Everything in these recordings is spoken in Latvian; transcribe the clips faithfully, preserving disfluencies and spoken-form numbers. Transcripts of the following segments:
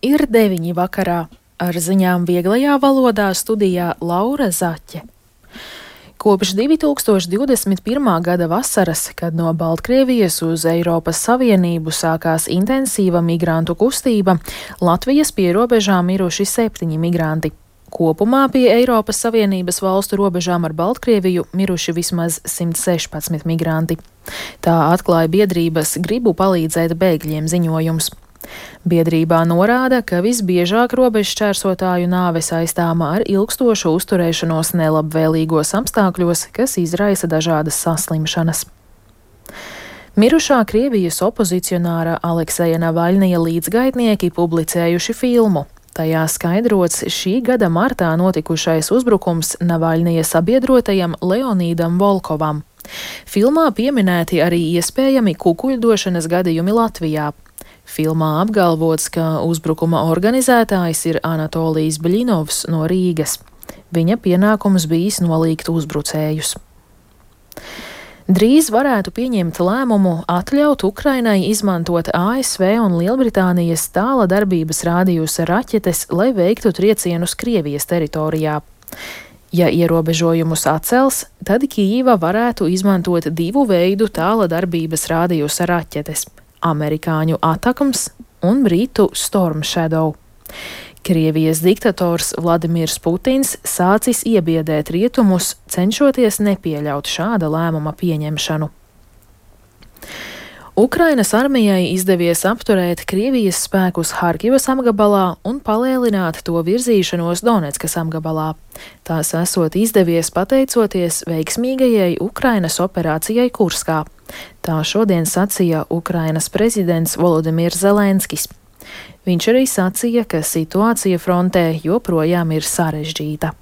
Ir deviņi vakarā. Ar ziņām vieglajā valodā studijā Laura Zaķe. Kopš divi tūkstoši divdesmit pirmā gada vasaras, kad no Baltkrievijas uz Eiropas Savienību sākās intensīva migrantu kustība, Latvijas pierobežām miruši septiņi migranti. Kopumā pie Eiropas Savienības valstu robežām ar Baltkrieviju miruši vismaz simt sešpadsmit migranti. Tā atklāja biedrības Gribu palīdzēt bēgļiem ziņojums. Biedrībā norāda, ka visbiežāk robežu šķērsotāju nāve saistāma ar ilgstošu uzturēšanos nelabvēlīgos apstākļos, kas izraisa dažādas saslimšanas. Mirušā Krievijas opozicionāra Alekseja Navaļnija līdzgaitnieki publicējuši filmu. Tajā skaidrots šī gada martā notikušais uzbrukums Navaļnija sabiedrotajam Leonīdam Volkovam. Filmā pieminēti arī iespējami kukuļdošanas gadījumi Latvijā. Filmā apgalvots, ka uzbrukuma organizētājs ir Anatolijs Bļinovs no Rīgas. Viņa pienākums bijis nolīgt uzbrucējus. Drīz varētu pieņemt lēmumu atļaut Ukrainai izmantot A S V un Lielbritānijas tāla darbības rādījusa raķetes, lai veiktu triecienus Krievijas teritorijā. Ja ierobežojumus atcels, tad Kijīva varētu izmantot divu veidu tāla darbības rādījusa raķetes – amerikāņu Atakams un britu Storm Shadow. Krievijas diktators Vladimirs Putins sācis iebiedēt rietumus, cenšoties nepieļaut šāda lēmuma pieņemšanu. Ukrainas armijai izdevies apturēt Krievijas spēkus Harkivas apgabalā un palēlināt to virzīšanos Doneckas apgabalā. Tās esot izdevies pateicoties veiksmīgajai Ukrainas operācijai Kurskā. Tā šodien sacīja Ukrainas prezidents Volodimirs Zelenskis. Viņš arī sacīja, ka situācija frontē joprojām ir sarežģīta.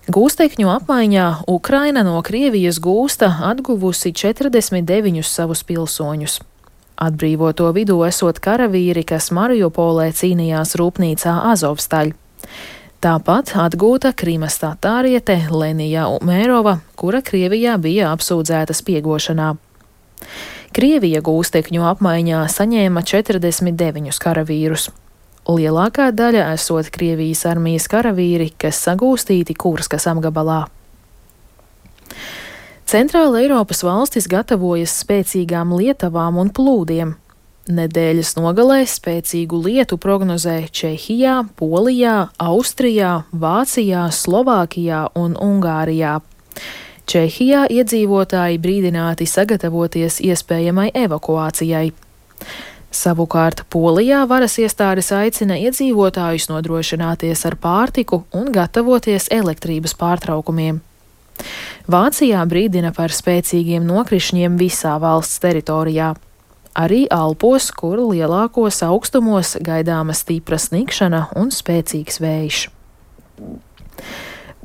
Gūstekņu apmaiņā Ukraina no Krievijas gūsta atguvusi četrdesmit deviņus savus pilsoņus. Atbrīvoto vidū esot karavīri, kas Mariupolē cīnījās rūpnīcā Azovstaļ. Tāpat atgūta Krimas tatāriete Lenija Umērova, kura Krievijā bija apsūdzēta spiegošanā. Krievija gūstekņu apmaiņā saņēma četrdesmit deviņus karavīrus. Lielākā daļa esot Krievijas armijas karavīri, kas sagūstīti Kurskas apgabalā. Centrāla Eiropas valstis gatavojas spēcīgām lietavām un plūdiem. Nedēļas nogalē spēcīgu lietu prognozē Čehijā, Polijā, Austrijā, Vācijā, Slovākijā un Ungārijā. Čehijā iedzīvotāji brīdināti sagatavoties iespējamai evakuācijai. Savukārt Polijā varas iestādes aicina iedzīvotājus nodrošināties ar pārtiku un gatavoties elektrības pārtraukumiem. Vācijā brīdina par spēcīgiem nokrišņiem visā valsts teritorijā. Arī Alpos, kur lielākos augstumos gaidāma stipra sniegšana un spēcīgs vējš.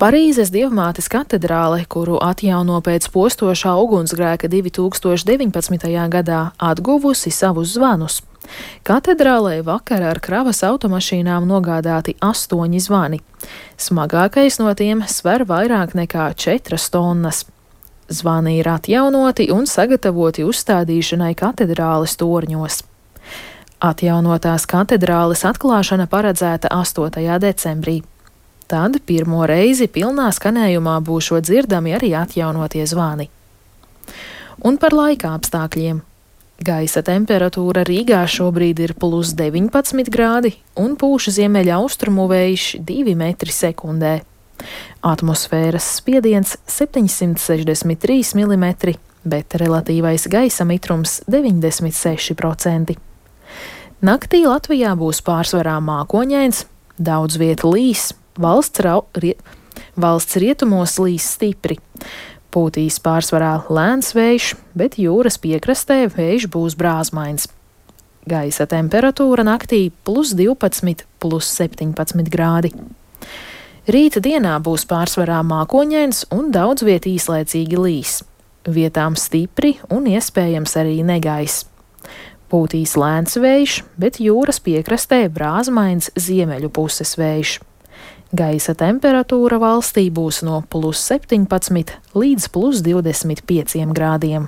Parīzes Dievmātes katedrāle, kuru atjauno pēc postošā ugunsgrēka divi tūkstoši deviņpadsmitajā gadā, atguvusi savus zvanus. Katedrālē vakar ar kravas automašīnām nogādāti astoņi zvani. Smagākais no tiem sver vairāk nekā četras tonnas. Zvani ir atjaunoti un sagatavoti uzstādīšanai katedrāles torņos. Atjaunotās katedrāles atklāšana paredzēta astotajā decembrī. Tad pirmo reizi pilnā skanējumā būšot dzirdami arī atjaunotie zvani. Un par laika apstākļiem. Gaisa temperatūra Rīgā šobrīd ir plus deviņpadsmit grādi un pūš ziemeļa austrumu vējš divi metri sekundē. Atmosfēras spiediens septiņsimt sešdesmit trīs milimetri, bet relatīvais gaisa mitrums deviņdesmit seši procenti. Naktī Latvijā būs pārsvarā mākoņains, daudz vietu līs, valsts, rau, rie, valsts rietumos līs stipri. Pūtīs pārsvarā lēns vējš, bet jūras piekrastē vējš būs brāzmains. Gaisa temperatūra naktī plus divpadsmit, plus septiņpadsmit grādi. Rīta dienā būs pārsvarā mākoņains un daudz viet īslaicīgi līs. Vietām stipri un iespējams arī negaiss. Pūtīs lēns vējš, bet jūras piekrastē brāzmains ziemeļu puses vējš. Gaisa temperatūra valstī būs no plus septiņpadsmit līdz plus divdesmit pieciem grādiem.